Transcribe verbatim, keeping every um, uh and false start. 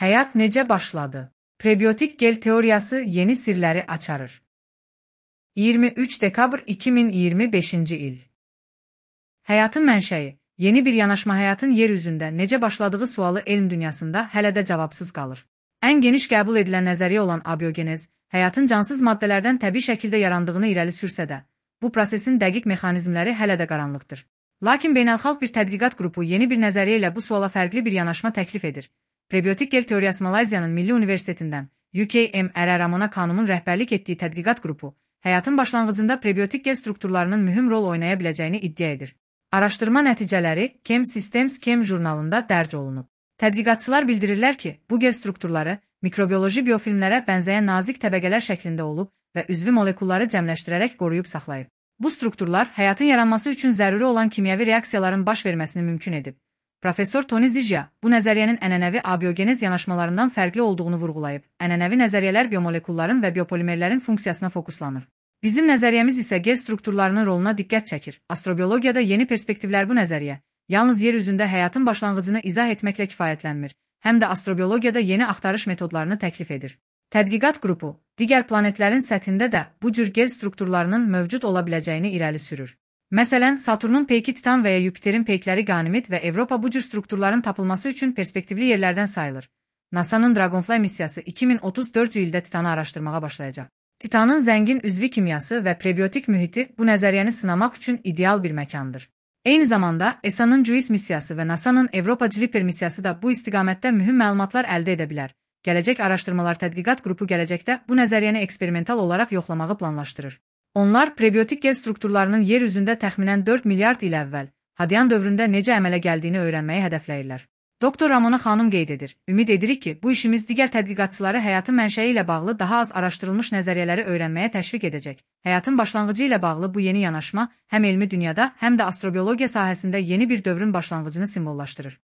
Həyat necə başladı? Prebiotik gel teoriyası yeni sirləri açarır. iyirmi üç dekabr iki min iyirmi beşinci il. Həyatın mənşəyi, yeni bir yanaşma həyatın yer üzündə necə başladığı sualı elm dünyasında hələ də cavabsız qalır. Ən geniş qəbul edilən nəzəriyyə olan abiogenez, həyatın cansız maddələrdən təbii şəkildə yarandığını irəli sürsə də, bu prosesin dəqiq mexanizmləri hələ də qaranlıqdır. Lakin beynəlxalq bir tədqiqat qrupu yeni bir nəzəriyyə ilə bu suala fərqli bir yanaşma təklif edir. Prebiotik gel teoriyası Malayziyanın Milli Universitetindən U K M R Ramona Khanumun rəhbərlik etdiyi tədqiqat qrupu, həyatın başlanğıcında prebiotik gel strukturlarının mühüm rol oynaya biləcəyini iddia edir. Araşdırma nəticələri Chem Systems Chem jurnalında dərc olunub. Tədqiqatçılar bildirirlər ki, bu gel strukturları mikrobioloji biofilmlərə bənzəyən nazik təbəqələr şəklində olub və üzvü molekulları cəmləşdirərək qoruyub saxlayıb. Bu strukturlar həyatın yaranması üçün zəruri olan kimyəvi reaksiyaların baş verməsini mümkün edib. Professor Tony Zijia bu nəzəriyyənin ənənəvi abiogenez yanaşmalarından fərqli olduğunu vurğulayıb. Ənənəvi nəzəriyyələr biomolekulların və biopolimerlərin funksiyasına fokuslanır. Bizim nəzəriyyəmiz isə gel strukturlarının roluna diqqət çəkir. Astrobiologiyada yeni perspektivlər bu nəzəriyyə yalnız yer üzündə həyatın başlanğıcını izah etməklə kifayətlənmir, həm də astrobiologiyada yeni axtarış metodlarını təklif edir. Tədqiqat qrupu digər planetlərin səthində də bu cür gel strukturlarının mövcud ola biləcəyini irəli sürür. Məsələn, Saturnun peyki Titan və ya Yupiterin peykləri Ganimid və Avropa bu cür strukturların tapılması üçün perspektivli yerlərdən sayılır. NASA'nın Dragonfly missiyası iki min otuz dördüncü ildə Titanı araşdırmağa başlayacaq. Titanın zəngin üzvi kimyası və prebiotik mühiti bu nəzəriyyəni sınamaq üçün ideal bir məkandır. Eyni zamanda E S A-nın JUICE missiyası və NASA'nın Avropa JUPITER missiyası da bu istiqamətdə mühüm məlumatlar əldə edə bilər. Gələcək Araşdırmalar Tədqiqat qrupu gələcəkdə bu nəzəriyyəni eksperimental olaraq yoxlamağı planlaşdırır. Onlar prebiotik gel strukturlarının yer üzündə təxminən dörd milyard il əvvəl, Hadyan dövründə necə əmələ gəldiyini öyrənməyi hədəfləyirlər. Doktor Ramona Khanum qeyd edir, ümid edirik ki, bu işimiz digər tədqiqatçıları həyatın mənşəyi ilə bağlı daha az araşdırılmış nəzəriyyələri öyrənməyə təşviq edəcək. Həyatın başlanğıcı ilə bağlı bu yeni yanaşma həm elmi dünyada, həm də astrobiologiya sahəsində yeni bir dövrün başlanğıcını simvollaşdırır.